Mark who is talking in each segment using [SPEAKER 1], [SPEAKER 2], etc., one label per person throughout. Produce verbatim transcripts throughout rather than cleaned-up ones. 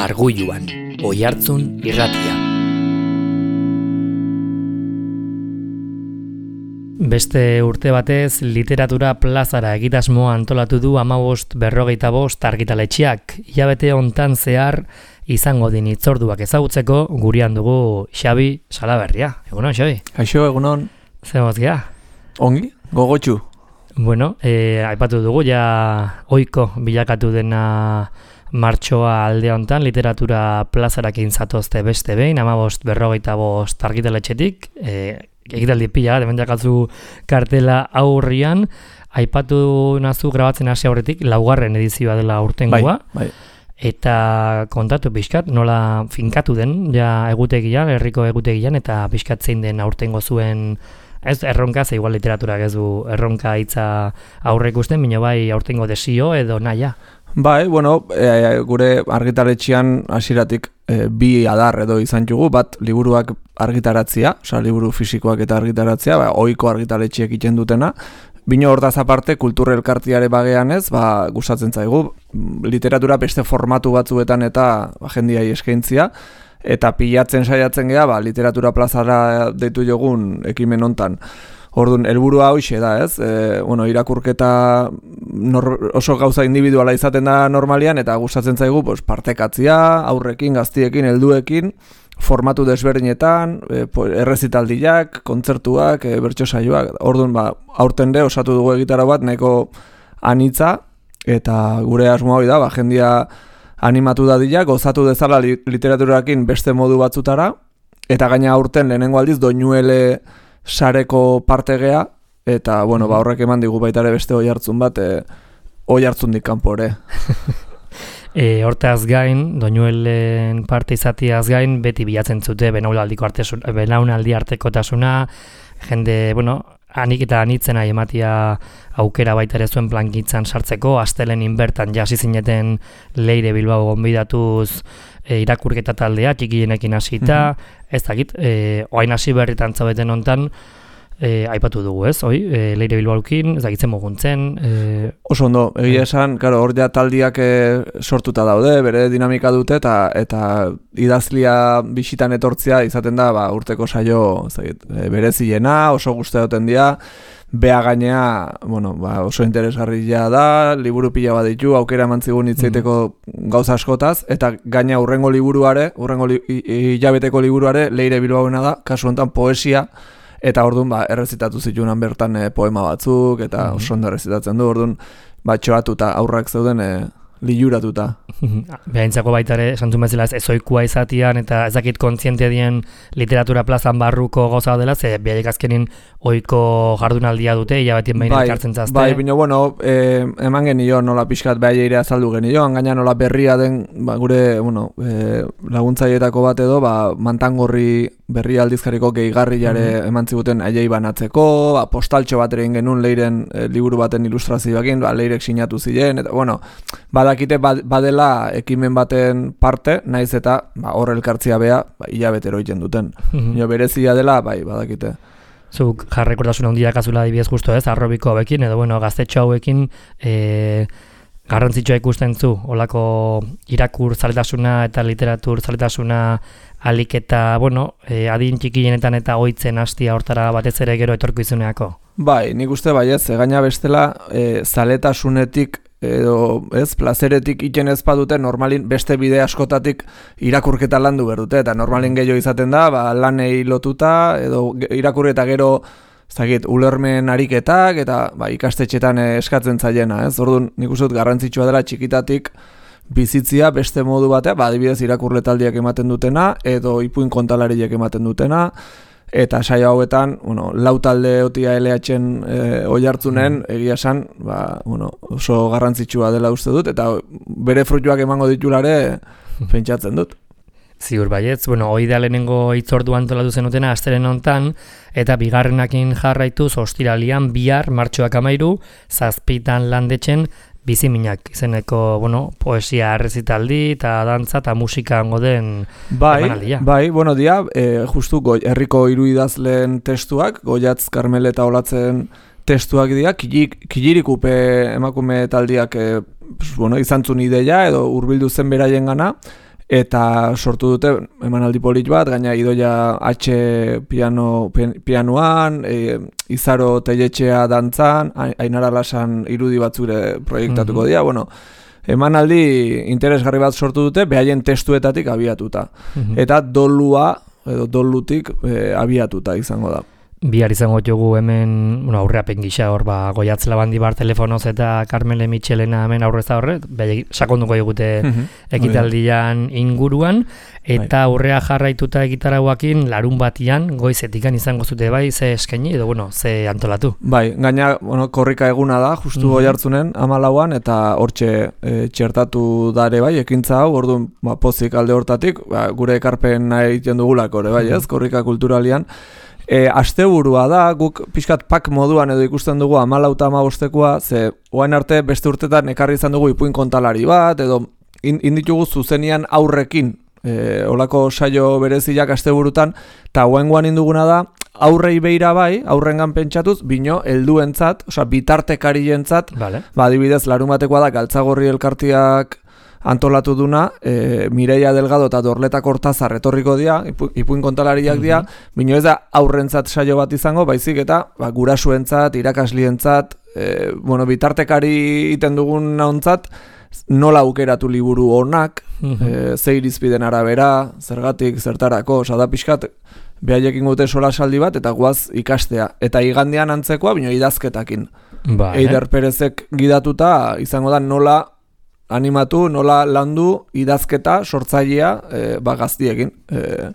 [SPEAKER 1] Argulluan, Oihartzun irratia. Beste urte batez, literatura plazara egitasmoa antolatu du hamabost berrogeita bost argitaletxeak. Hilabete hontan zehar izango din hitzorduak ezagutzeko gurean dugu Xabi Salaberria. Egunon, Xabi?
[SPEAKER 2] Kaixo, egunon.
[SPEAKER 1] Zer mozkia?
[SPEAKER 2] Ongi, gogotxu.
[SPEAKER 1] Bueno, eh, aipatu dugu, ja ohiko bilakatu dena martxoa alde hontan literatura plazarakin zatozte beste behin, hamabost berrogeita bost argitaletxetik, eh, egitaldi pila, hemen jakatzu kartela aurrian, aipatu nazu grabatzen hasi aurretik, laugarren edizioa dela urtengoa,
[SPEAKER 2] bai, bai.
[SPEAKER 1] Eta kontatu pixkat, nola finkatu den, ja egutegian, herriko egutegian, eta pixkat zein den aurtengo zuen, ez erronka, ze igual literaturak ez du erronka hitza aurre ikusten, bino bai aurtengo desio edo naia.
[SPEAKER 2] Bai, bueno, e, gure argitaletxean hasieratik e, bi adar edo izan jugu, bat liburuak argitaratzea, osea liburu fisikoak eta argitaratzea, ba, ohiko argitaletxeek egiten dutena. Bino hortaz aparte, kultur elkartiare bagean ez, ba, gustatzen zaigu, literatura beste formatu batzuetan eta ba, jendiai eskaintzia, eta pilatzen saiatzen gea, ba, literatura plazara deitu jogun ekimen hontan. Orduan, helburua hoxe da, ez? E, bueno, irakurketa nor, oso gauza individuala izaten da normalian, eta gustatzen zaigu pues, partekatzia, aurrekin, gaztiekin, helduekin, formatu desberdinetan, e, errezitaldiak, kontzertuak, e, bertso saioak. Orduan, ba, aurten de osatu dugu egitara bat, nahiko anitza, eta gure asmoa hori da, ba, jendia animatu dadila, gozatu dezala li, literaturarekin beste modu batzutara, eta gaina aurten lehenengo aldiz doinuele sareko partegea, eta bueno, ba, horrek eman digu baita ere beste oihartzun bat, e, oihartzundik kanpore.
[SPEAKER 1] E, hortaz gain, doinuelen parte izatiaz gain, beti bilatzen zute benaunaldiko artesuna, benaunaldi artekotasuna, jende, bueno, anik eta anitzen nahi ematia aukera baita ere zuen plangintzan sartzeko, astelenin bertan jasi zineten Leire Bilbao gonbidatuz e, irakurketa taldea, txikienekin hasita, mm-hmm. ez dakit, e, oain hasi berritan zaudeten hontan, E, aipatu dugu, ez, oi? E, Leire Bilbaokin, ez dakitzen muguntzen. E...
[SPEAKER 2] Oso ondo, egia esan, claro, hor ja taldiak e, sortuta daude, bere dinamika dute, eta eta idazlia bisitan etortzea izaten da, ba, urteko saio, ez dakit, e, bereziena, oso gustatzen dira, bea gainea, bueno, ba, oso interesgarria da, liburu pila bat ditu, aukera mantzigun hitzeiteko mm. gauza askotaz, eta gaina urrengo liburuare, urrengo li, hilabeteko liburuare, Leire Bilbaoena da, kasu honetan poesia, eta orduan ba, errezitatu zitunan bertan e, poema batzuk, eta mm-hmm. oso ondo errezitatzen du, orduan ba, txoatuta, aurrak zeuden e, liluratuta.
[SPEAKER 1] Behaintzako baita ere, esantzun bezala ez ezoikua izatian, eta ez dakit kontziente dien literatura plazan barruko goza dela, ze behaiek azkenin ohiko jardunaldia dute, hilabetien behin bai, elkartzen zazte.
[SPEAKER 2] Bai, bino, bueno, e, eman genio nola pixkat behaieire azaldu genio, gaina nola berria den, ba, gure, bueno, e, laguntzaietako bat edo, ba, Mantangorri berri aldizkariko gehigarriare mm-hmm. eman ziguten aiei banatzeko, ba, postaltxo bat egin genuen Leiren e, liburu baten ilustrazioakin, ba, Leirek sinatu ziren, eta, bueno, badakite badela ekimen baten parte, naiz eta ba, hor elkartzia bea, ba, hilabetero egiten duten. Mm-hmm. Jo, berezia dela, bai, badakite.
[SPEAKER 1] Zuk jarrekortasuna handiak azula adibidez justo ez, arrobiko hauekin, edo bueno, gaztetxo hauekin e, garrantzitsua ikusten zu, olako irakur zaletasuna eta literatur zaletasuna alik eta, bueno, e, adin txikienetan eta ohitzen hastia hortara batez ere gero etorkizuneako. Bai,
[SPEAKER 2] nik uste baiez, gaina bestela e, zaletasunetik edo ez, plazeretik iten ez badute, normalin beste bide askotatik irakurketa landu berdute, eta normalin gehiago izaten da, ba, lanei lotuta, edo irakurketa gero, ez dakit, ulermen ariketak, eta ba, ikastetxetan eskatzen zaiena, ez? Orduan, nik uste dut garrantzitsua dela txikitatik bizitzia beste modu batea, ba, adibidez irakurletaldiak ematen dutena, edo ipuin kontalariek ematen dutena, eta saio hauetan, bueno, lau talde otia L H-en e, oihartzunen, egia esan, ba, bueno, oso garrantzitsua dela uste dut, eta bere fruituak emango ditulare pentsatzen dut.
[SPEAKER 1] Ziur baietz, bueno, hoi da lehenengo hitzordu antolatu zenutena astelen hontan, eta bigarrenakin jarraituz ostiralian bihar martxoak amairu, zazpitan landetxen, biziminak izeneko, bueno, poesia errezitaldi eta dantza eta musika hango den
[SPEAKER 2] bai,
[SPEAKER 1] emanaldia.
[SPEAKER 2] Bai, bueno, dia, e, justu goi, herriko hiru idazleen testuak, Goiatz, Karmel eta Olatzen testuak dira, kilirikupe emakume taldiak e, bueno, izantzun ideia edo hurbildu zen beraien gana, eta sortu dute emanaldi polit bat, gaina Idoia H piano, pianoan, e, Izaro Telletxea dantzan, Ainara Lasan irudi batzure proiektatuko dira, bueno, emanaldi interesgarri bat sortu dute, behaien testuetatik abiatuta. Mm-hmm. Eta dolua, edo dolutik e, abiatuta izango da.
[SPEAKER 1] Bihar izango dugu hemen, bueno, aurreapen gisa hor, ba, Goiatz Labandibar telefonoz eta Carmele Michelena hemen aurrez da horret, behar sakonduko egute mm-hmm. ekitaldian inguruan, eta aurrea jarraituta egitarauakin larun batian goizetikan izango zute bai, ze eskaini edo, bueno, ze antolatu.
[SPEAKER 2] Bai, gaina, bueno, korrika eguna da, justu mm-hmm. Oiartzunen, hamalauan, eta hortxe e, txertatu dare bai, ekintza hau, orduan, ba, pozik alde hortatik, ba, gure ekarpen nahi egiten dugulako, bai, ez, korrika kulturalian. E, asteburua da, guk pixkat pak moduan edo ikusten dugu hamalau eta hamabostekoa, ze oain arte beste urtetan ekarri izan dugu ipuin kontalari bat, edo inditugu zuzenian aurrekin, e, olako saio bereziak asteburutan, eta oain guan induguna da, aurrei beira bai, aurrengan pentsatuz, bino, helduentzat, osea, bitartekarientzat, vale. Ba, adibidez, larun batekoa da, Galtzagorri elkartiak antolatu duna, e, Mireia Delgado eta Dorleta Kortazar etorriko dira, ipu, ipuin kontalariak dira, mm-hmm. bino ez da aurrentzat saio bat izango, baizik eta ba, gurasuentzat, irakaslientzat, e, bueno, bitartekari iten dugun nauntzat, nola aukeratu liburu honak, mm-hmm. e, ze irizpiden arabera, zergatik, zertarako, osa da pixkat, behaiekin gute sola saldi bat, eta guaz ikastea. Eta igandean antzekoa, bino idazketakin. Ba, Eider eh? Perezek gidatuta, izango da nola animatu, nola landu, idazketa, sortzailea, e, ba, gaztiekin. E,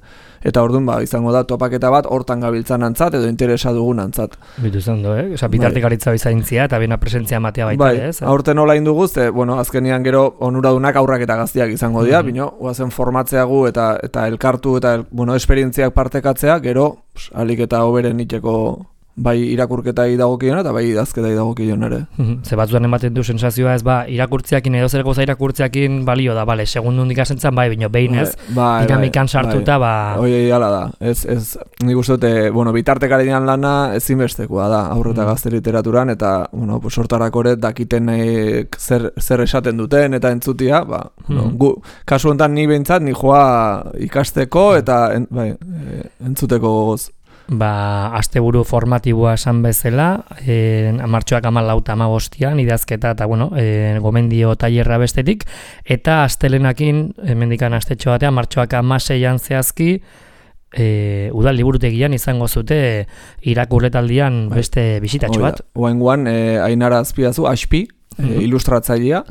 [SPEAKER 2] eta orduan, ba, izango da, topaketa bat, hortan gabiltzan antzat, edo interesa dugun antzat.
[SPEAKER 1] Bitu zen du, eh? Osa, bitartekaritza bizaintzia, eta bena presentzia matea baita,
[SPEAKER 2] bai,
[SPEAKER 1] ez? Eh?
[SPEAKER 2] Aurten nola induguz, e, bueno, azkenian gero onuradunak aurrak eta gaztiak izango dira, mm-hmm. bino, guazen formatzeagu eta eta elkartu, eta, el, bueno, esperientziak partekatzea, gero, pues, alik eta hoberen itxeko bai irakurketai dagokiona eta bai idazketai dagokion ere.
[SPEAKER 1] Ze batzuan ematen du sensazioa ez, ba, irakurtziakin edo zer goza irakurtziakin balio da, bale, segundun dikasentzan bai, bino behinez, bai, dinamikan bai, sartuta, bai. Ba...
[SPEAKER 2] Oi, hala da, ez, ez, nik uste dute, bueno, bitartekarian lana ezinbestekoa da, aurre eta mm. gazte literaturan, eta, bueno, pues, sortarako ere dakiten zer, zer esaten duten, eta entzutia, ba, mm. no, gu, kasu honetan ni behintzat, ni joa ikasteko, eta, en, bai, entzuteko gogoz.
[SPEAKER 1] Ba, asteburu formatiboa esan bezala, e, martxoak hamalau eta hamabostian idazketa eta bueno, e, gomendio tailerra bestetik, eta astelenakin, hemendikan astetxo batean, martxoak hamaseian zehazki, e, udal liburutegian izango zute irakurletaldian beste bisitatxo bat.
[SPEAKER 2] Oaingoan, e, Ainara Azpiazu, Aspi, mm-hmm. e, ilustratzailea,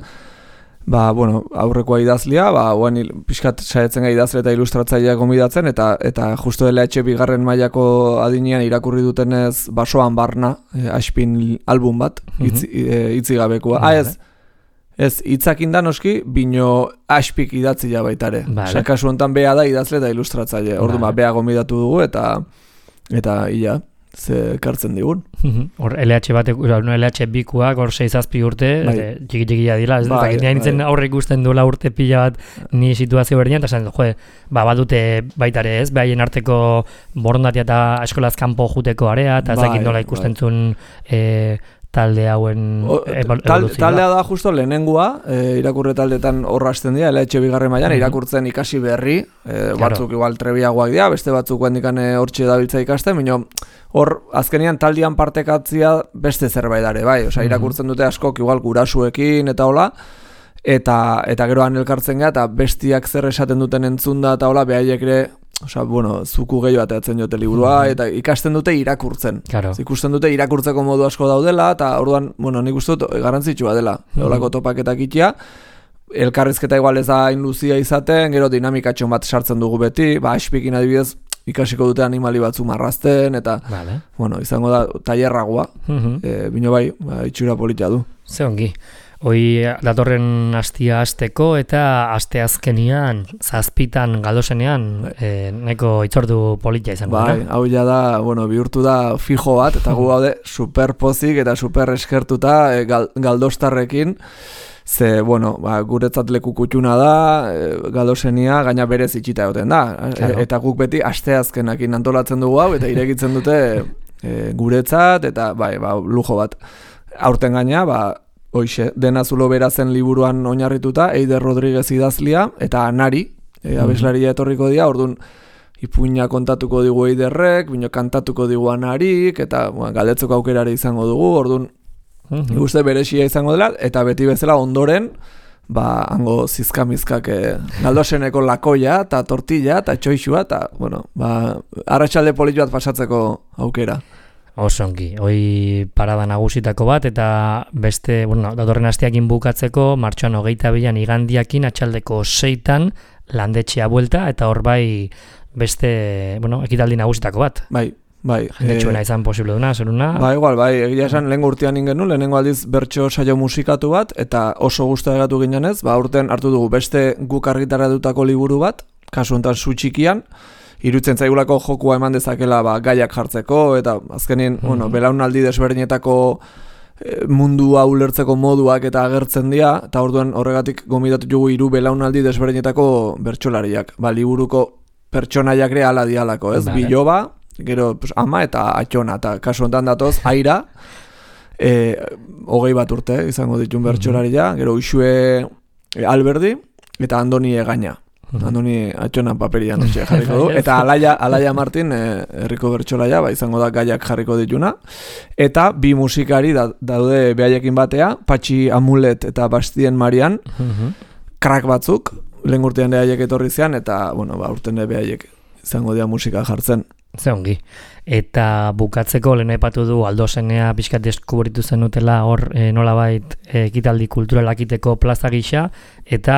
[SPEAKER 2] ba, bueno, aurrekoa idazlia, ba, oan pixkat saietzen gai idazle eta ilustratzailea gomidatzen, eta eta justo L H bigarren mailako adinean irakurri dutenez basoan barna, e, Aspin album bat, itzi, e, itzigabekoa. Ah, ez, ez, itzakin da noski, bino Aspik idatzia baitare. Vale. Osa, kasu honetan bea da idazle eta ilustratzaile. Ordu, vale. Ba, bea gomidatu dugu, eta, eta ia, ze kartzen digun.
[SPEAKER 1] Hor L H batek, L H bikuak hor sei zazpi urte, txiki-txikia dila, ez da, nintzen aurre ikusten duela urte pila bat ni situazio berdian, eta esan, joe, ba, badute baitare ez, behaien arteko borondatia eta eskolaz kanpo juteko area, eta ezakin nola ikusten zuen e, talde hauen evoluzioa.
[SPEAKER 2] Taldea da justo lehenengua, e, irakurre taldetan horra hasten dira, L H bigarren mailan mm-hmm. irakurtzen ikasi berri, e, batzuk claro. Igual trebiagoak dira, beste batzuk handikan hortxe dabiltza ikasten, minio, hor, azkenian taldian partekatzia beste zerbait dare, bai, osea, irakurtzen dute askok igual gurasuekin eta hola, eta eta gero han elkartzen gara, eta bestiak zer esaten duten entzunda eta hola, behaiek ere, osea, bueno, zuku gehiago ateatzen jote liburua, mm-hmm. eta ikasten dute irakurtzen. Claro. Ikusten dute irakurtzeko modu asko daudela, eta orduan, bueno, nik uste dut garrantzitsua dela, mm-hmm. holako topaketak itia, elkarrizketa igual ez da hain luzia izaten, gero dinamikatxon bat sartzen dugu beti, ba, Aspikin adibidez, ikasiko dute animali batzu marrazten, eta, vale. Bueno, izango da, tailerragoa, mm-hmm. e, bino bai, ba, itxura politia du.
[SPEAKER 1] Ze ongi. Hoi datorren astia asteko eta aste azkenian, zazpitan galdosenean, e, neko itzordu politia izango da.
[SPEAKER 2] Bai, hau ja da, bueno, bihurtu da fijo bat, eta gu gaude super pozik eta super eskertuta e, gal, galdostarrekin, ze, bueno, ba, guretzat leku kutxuna da, e, galdosenia gaina berez itxita egoten da. Claro. E, eta guk beti asteazkenakin antolatzen dugu hau, eta irekitzen dute e, guretzat, eta bai, ba, lujo bat. Aurten gaina, ba, hoixe, Dena Zulo Bera zen liburuan oinarrituta, Eider Rodriguez idazlia, eta Anari, e, abeslaria etorriko dira, orduan ipuina kontatuko digu Eiderrek, bino kantatuko digu Anarik, eta bueno, galdetzeko aukerare izango dugu, orduan mm-hmm. uste berexia izango dela, eta beti bezala ondoren, ba, hango zizkamizkak eh, galdoseneko lakoia, eta tortilla, eta txoixua, eta, bueno, ba, arratsalde polit bat pasatzeko aukera.
[SPEAKER 1] Osongi, hoi parada nagusitako bat, eta beste, bueno, datorren asteakin bukatzeko, martxoan hogeita bilan igandiakin, atxaldeko seitan, landetxea buelta, eta hor bai beste, bueno, ekitaldi nagusitako bat.
[SPEAKER 2] Bai, bai.
[SPEAKER 1] Jendetxuena izan posible duna, zeruna?
[SPEAKER 2] Ba, igual, bai, egia esan lehen urtean ingen nu, lehenengo aldiz bertso saio musikatu bat, eta oso guztua egatu ginen ez, ba, urten hartu dugu beste guk argitaratutako liburu bat, kasu honetan Su txikian, irutzen zaigulako jokua eman dezakela ba, gaiak jartzeko, eta azkenin, mm-hmm. bueno, belaunaldi desberdinetako e, mundua ulertzeko moduak eta agertzen dira, eta orduan horregatik gomidatu dugu hiru belaunaldi desberdinetako bertsolariak. Ba, liburuko pertsonaiak ere ala dialako, ez? Vale. Biloba, gero pues, ama eta atxona, eta kasu honetan datoz, aira, e, hogei bat urte izango ditun bertsolaria, mm-hmm. gero Uxue e, Alberdi, eta Andoni Egaña. Andoni atxona paperian etxe jarriko du, eta Alaia, Alaia Martin eh, herriko bertsolaia, ba, izango da gaiak jarriko dituna, eta bi musikari da, daude behaiekin batea, Patxi Amulet eta Bastien Marian, krak batzuk, lehen urtean behaiek etorri zean, eta bueno, ba, urten behaiek izango dira musika jartzen.
[SPEAKER 1] Ze ongi. Eta bukatzeko lehen aipatu du Aldosenea pixkat deskubritu zenutela hor e, nolabait ekitaldi kulturalak iteko plaza gisa, eta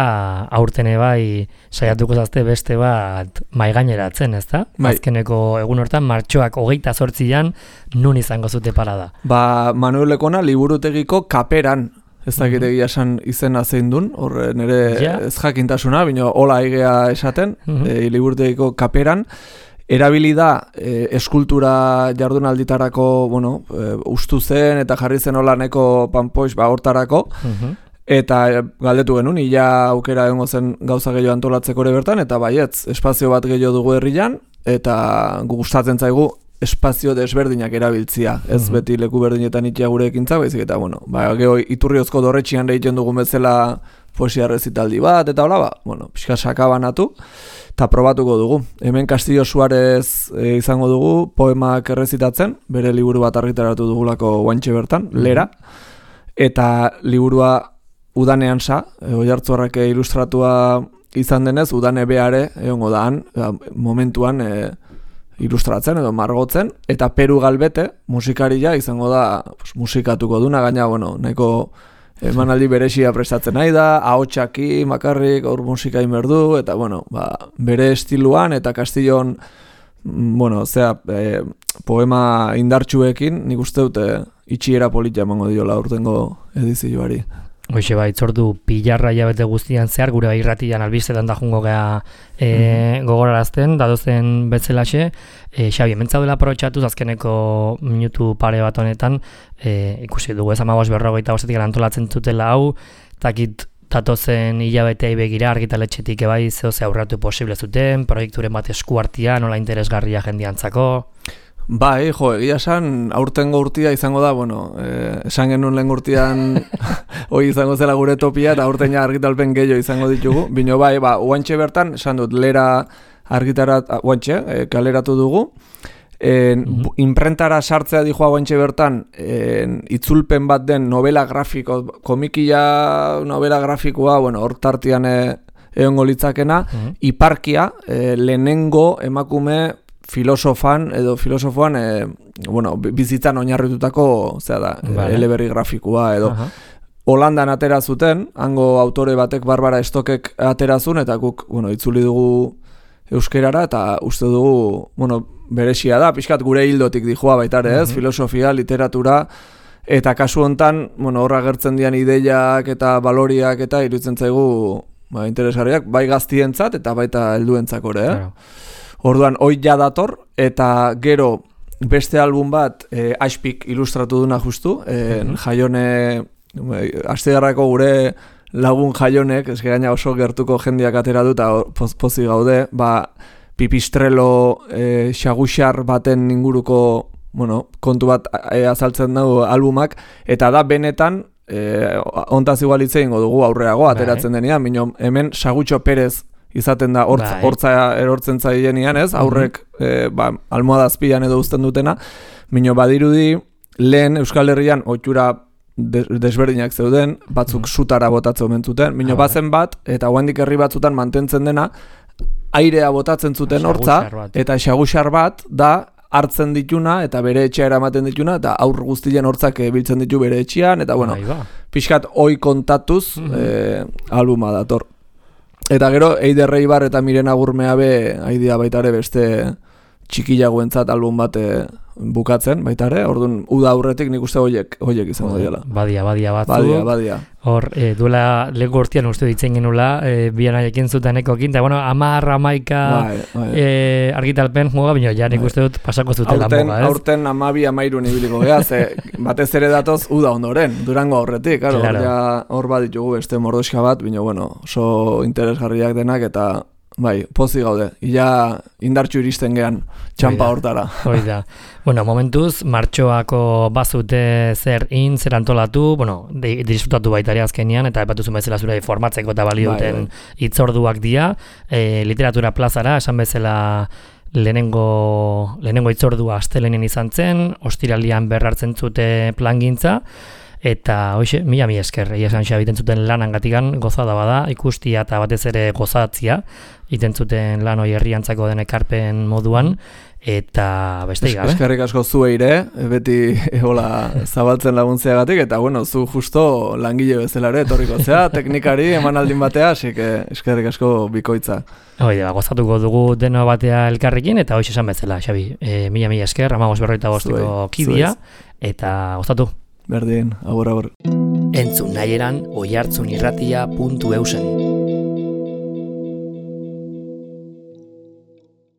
[SPEAKER 1] aurten bai saiatuko zazte beste bat maigaineratzen, ezta?
[SPEAKER 2] Bai.
[SPEAKER 1] Azkeneko egun hortan martxoak hogeita zortzian nun izango zute parada.
[SPEAKER 2] Ba, Manuel Lekona liburutegiko kaperan, ez dakit egia esan izena zein dun, hor nire
[SPEAKER 1] ja.
[SPEAKER 2] ez jakintasuna, bino hola egea esaten, mm-hmm. e, liburutegiko kaperan, erabili da e, eskultura jardunalditarako, bueno, e, ustu zen eta jarri zen holaneko panpoix ba hortarako, uh-huh. eta galdetu genuen, ia aukera egongo zen gauza gehiago antolatzeko ere bertan, eta baietz, espazio bat gehiago dugu herrian, eta gustatzen zaigu espazio desberdinak erabiltzia, ez uh-huh. beti leku berdinetan itia gure ekintza, baizik eta, bueno, ba, geho iturriozko dorretxian egiten dugun bezala poesia rezitaldi bat, eta hola, ba, bueno, pixka sakabanatu, eta probatuko dugu. Hemen Castillo Suarez e, izango dugu poemak errezitatzen, bere liburu bat argitaratu dugulako guantxe bertan, Lera, eta liburua udanean sa, e, Oiartzuarrak ilustratua izan denez, udane beare, egongo daan, e, momentuan e, ilustratzen edo margotzen, eta Peru Galbete, musikaria izango da pues, musikatuko duna, gaina, bueno, nahiko emanaldi berexia prestatzen nahi da, ahotxaki, makarrik, aur musika inberdu, eta bueno, ba, bere estiluan eta Castillon, bueno, zera, e, poema indartsuekin, nik uste dute itxiera politia emango diola urtengo edizioari.
[SPEAKER 1] Hoxe bai, itzordu pilarra jabete guztian zehar, gure bai irratian albistetan da jungo geha e, mm-hmm. gogorarazten, dadozen betzelaxe, e, Xabi, mentzaudela aprobetxatuz azkeneko minutu pare bat honetan, e, ikusi dugu ez amabos berrogeita bostetik antolatzen zutela hau, takit datozen hilabetei begira argitaletxetik ebai zeo ze aurratu posible zuten, proiekturen bat eskuartia, nola interesgarria jendiantzako.
[SPEAKER 2] Bai, jo, egia esan, aurtengo urtia izango da, bueno, eh, esan genuen lehen urtian hoi izango zela gure topia, eta aurten ja argitalpen gehiago izango ditugu. Bino bai, ba, oantxe bertan, esan dut, Lera argitarat, oantxe, eh, kaleratu dugu. En, mm-hmm. Imprentara sartzea dijoa oantxe bertan, en, itzulpen bat den novela grafiko, komikia novela grafikoa, bueno, hor tartian eh, egongo litzakena, mm-hmm. Iparkia, eh, lehenengo emakume filosofan edo filosofoan e, bueno, bizitzan oinarritutako zera da, vale. eleberri grafikoa edo uh-huh. Holandan atera zuten, hango autore batek Barbara Stokek aterazun, eta guk bueno, itzuli dugu euskerara, eta uste dugu bueno, berexia da, pixkat gure hildotik dijoa baitare ez, uh-huh. filosofia, literatura, eta kasu hontan bueno, horra gertzen dian ideiak eta baloriak eta iruditzen zaigu ba, interesgarriak, bai gaztientzat eta baita helduentzako ere, eh? Claro. Orduan, hoi ja dator, eta gero beste album bat e, Aspik ilustratu duna justu, e, mm-hmm. Jaione, astegarrako gure lagun Jaionek, ez gaina oso gertuko jendiak atera du, eta poz, pozi gaude, ba, pipistrelo e, xaguxar baten inguruko bueno, kontu bat e, azaltzen dugu albumak, eta da benetan, e, ontaz igualitze ingo dugu aurreago, ateratzen denean, bino, hemen Sagutxo Perez izaten da hortz,
[SPEAKER 1] bai.
[SPEAKER 2] hortza erortzen zaienean, ez? Aurrek e, ba, almohada azpian edo uzten dutena, mino badirudi lehen Euskal Herrian ohitura desberdinak zeuden, batzuk mm. sutara botatzen omen zuten, mino ah, bazen bat, eta guandik herri batzutan mantentzen dena, airea botatzen zuten hortza, eta xaguxar bat da hartzen dituna, eta bere etxea eramaten dituna, eta aur guztien hortzak biltzen ditu bere etxean, eta bueno, pixkat oi kontatuz mm-hmm. e, albuma dator. Eta gero, Eider Reibar eta Miren Agurmea be, aidia baitare beste txikilagoentzat album bat bukatzen, baitare, orduan, uda aurretik nik uste hoiek, hoiek izango diela.
[SPEAKER 1] Badia, badia batzu.
[SPEAKER 2] Badia, badia.
[SPEAKER 1] Hor, e, duela lego urtean uste ditzen genula, e, bian aiekin zutenekokin, eta bueno, amar, amaika bai, bai. E, argitalpen muga, bino, ja nik uste dut pasako zutela
[SPEAKER 2] aurten,
[SPEAKER 1] muga, ez?
[SPEAKER 2] Aurten amabi amairun ibiliko geha, ze batez ere datoz uda ondoren, Durango aurretik, claro, claro. Hor, ja, hor bat ditugu beste mordoska bat, bino, bueno, oso interesgarriak denak, eta bai, pozi gaude. Ia indartxu iristen gean txampa hortara.
[SPEAKER 1] Hoi da. Bueno, momentuz, martxoako bazute zer in, zer antolatu, bueno, disfrutatu baitari azkenian, eta epatuzu bezala zure formatzeko eta balio duten hitzorduak dira. E, literatura plazara, esan bezala lehenengo, lehenengo hitzordua astelenen izan zen, ostiralian berrartzen zute plangintza, eta hoxe, mila mi esker, egia esan xabiten zuten lanangatikan gozada bada, ikustia eta batez ere gozatzia, iten zuten lan hori herriantzako den ekarpen moduan, eta beste gabe.
[SPEAKER 2] Eskerrik asko zueire, beti hola zabaltzen laguntzeagatik, eta bueno, zu justo langile bezalare etorriko zea, teknikari emanaldin batea, así que eskerrik asko bikoitza.
[SPEAKER 1] Hoi da, gozatuko dugu deno batea elkarrekin, eta hoxe esan bezala, Xabi, e, mila mi esker, amagos berroita bosteko kidia, eta gozatu.
[SPEAKER 2] Berdin, agur, agur.
[SPEAKER 1] Entzun nahi eran oihartzunirratia puntu eusen.